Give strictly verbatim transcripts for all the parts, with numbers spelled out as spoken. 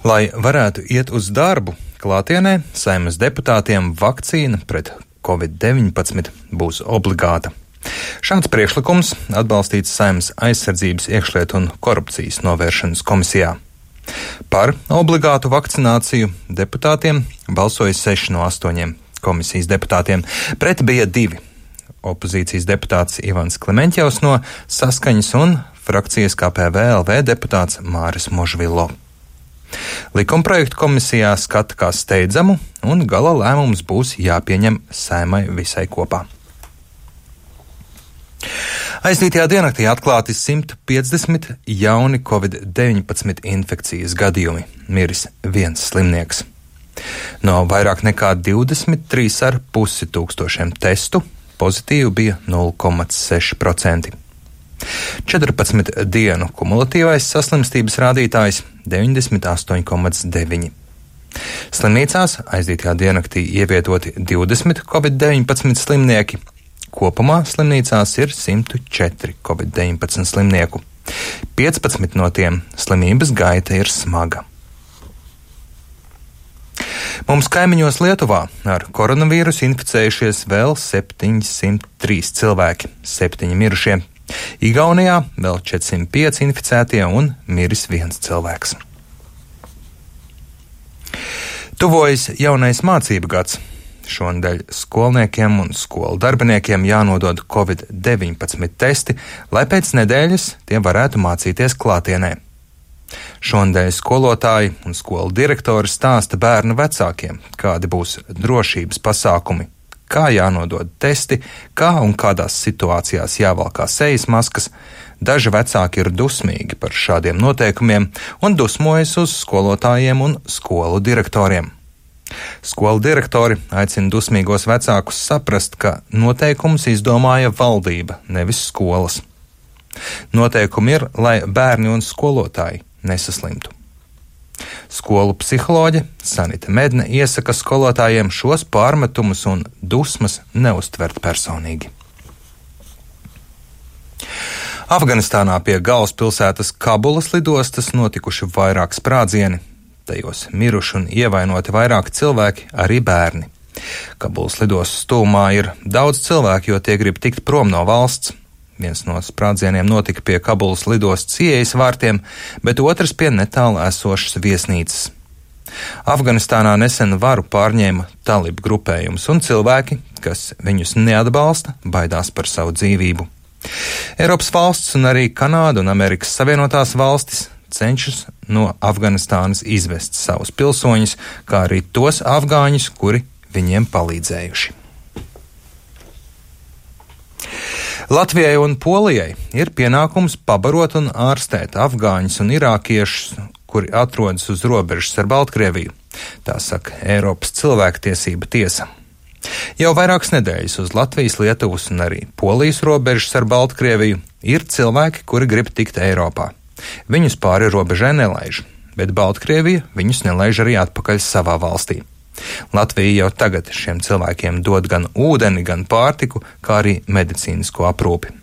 Lai varētu iet uz darbu, klātienē Saeimas deputātiem vakcīna pret covid deviņpadsmit būs obligāta. Šāds priekšlikums atbalstīts Saeimas aizsardzības, iekšlietu un korupcijas novēršanas komisijā. Par obligātu vakcināciju deputātiem balsoja seši no astoņiem komisijas deputātiem. Pret bija divi. Opozīcijas deputāts Ivans Klementjevs no Saskaņas un frakcijas K P V L V deputāts Māris Možvilo. Likumprojektu komisijā skata kā steidzamu, un gala lēmums būs jāpieņem Saeimai visai kopā. Aizdītajā diennaktī atklāti simt piecdesmit jauni covid deviņpadsmit infekcijas gadījumi, miris viens slimnieks. No vairāk nekā divdesmit trīs ar pusi tūkstošiem testu pozitīvi bija nulle komats seši procenti. četrpadsmit dienu kumulatīvais saslimstības rādītājs deviņdesmit astoņi komats deviņi. Slimnīcās aizdītajā diennaktī ievietoti divdesmit covid deviņpadsmit slimnieki. Kopumā slimnīcās ir simt četri covid deviņpadsmit slimnieku. piecpadsmit no tiem slimības gaita ir smaga. Mums kaimiņos Lietuvā ar koronavīrusu inficējušies vēl septiņsimt trīs cilvēki, septiņi mirušie. Igaunijā vēl četrsimt pieci inficētie un miris viens cilvēks. Tuvojas jaunais mācību gads. Šonadēļ skolniekiem un skolu darbiniekiem jānodod covid deviņpadsmit testi, lai pēc nedēļas tie varētu mācīties klātienē. Šonadēļ skolotāji un skolu direktori stāsta bērnu vecākiem, kādi būs drošības pasākumi, kā jānodod testi, kā un kādās situācijās jāvalkā sejas maskas. Daži vecāki ir dusmīgi par šādiem noteikumiem un dusmojas uz skolotājiem un skolu direktoriem. Skolu direktori aicina dusmīgos vecākus saprast, ka noteikumus izdomāja valdība, nevis skolas. Noteikumi ir, lai bērni un skolotāji nesaslimtu. Skolu psiholoģe Sanita Medne iesaka skolotājiem šos pārmetumus un dusmas neuztvert personīgi. Afganistānā pie galvaspilsētas Kabulas lidostas notikuši vairāk sprādzieni. Tajos miruši un ievainoti vairāki cilvēki, arī bērni. Kabulas lidostas tūmā ir daudz cilvēku, jo tie grib tikt prom no valsts. Viens no sprādzieniem notika pie Kabulas lidostas ieejas vārtiem, bet otrs pie netālu esošas viesnīcas. Afganistānā nesen varu pārņēma talibu grupējums, un cilvēki, kas viņus neatbalsta, baidās par savu dzīvību. Eiropas valsts un arī Kanāda un Amerikas Savienotās valstis cenšas no Afganistānas izvest savus pilsoņus, kā arī tos afgāņus, kuri viņiem palīdzējuši. Latvijai un Polijai ir pienākums pabarot un ārstēt afgāņus un irākiešus, kuri atrodas uz robežas ar Baltkrieviju. Tā saka Eiropas cilvēktiesība tiesa. Jau vairākas nedēļas uz Latvijas, Lietuvas un arī Polijas robežas ar Baltkrieviju ir cilvēki, kuri grib tikt Eiropā. Viņus pāri robežai nelaiž, bet Baltkrievija viņus nelaiž arī atpakaļ savā valstī. Latvija jau tagad šiem cilvēkiem dod gan ūdeni, gan pārtiku, kā arī medicīnisko aprūpi.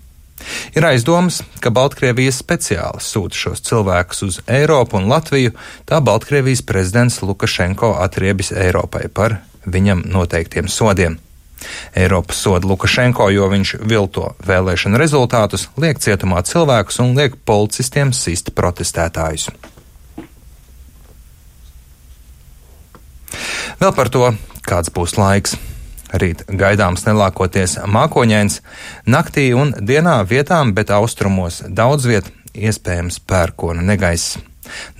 Ir aizdomas, ka Baltkrievija speciāli sūta šos cilvēkus uz Eiropu un Latviju, tā Baltkrievijas prezidents Lukašenko atriebis Eiropai par viņam noteiktiem sodiem. Eiropa soda Lukašenko, jo viņš vilto vēlēšanu rezultātus, liek cietumā cilvēkus un liek policistiem sist protestētājus. Vēl par to, kāds būs laiks. Rīt gaidāms nelākoties mākoņains, naktī un dienā vietām, bet austrumos daudz viet iespējams pērkona negaiss.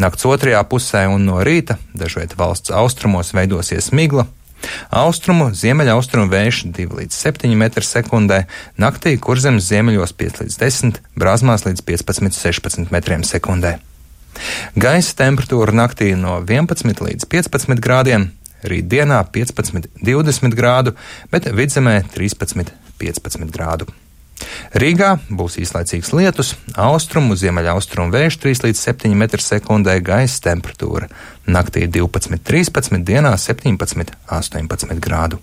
Nakts otrajā pusē un no rīta dažviet valsts austrumos veidosies migla. Austrumu, ziemeļaustrumu vējš divi līdz septiņi metri sekundē, naktī kurzemes ziemeļos pieci līdz desmit, brāzmās līdz piecpadsmit līdz sešpadsmit metriem sekundē. Gaisa temperatūra naktī no vienpadsmit līdz piecpadsmit grādiem, rīt dienā piecpadsmit līdz divdesmit grādu, bet vidzemē trīspadsmit līdz piecpadsmit grādu. Rīgā būs īslaicīgs lietus, austrumu, ziemeļaustrumu vējš trīs līdz septiņi metri sekundē, gaisa temperatūra naktī divpadsmit līdz trīspadsmit, dienā septiņpadsmit līdz astoņpadsmit grādu.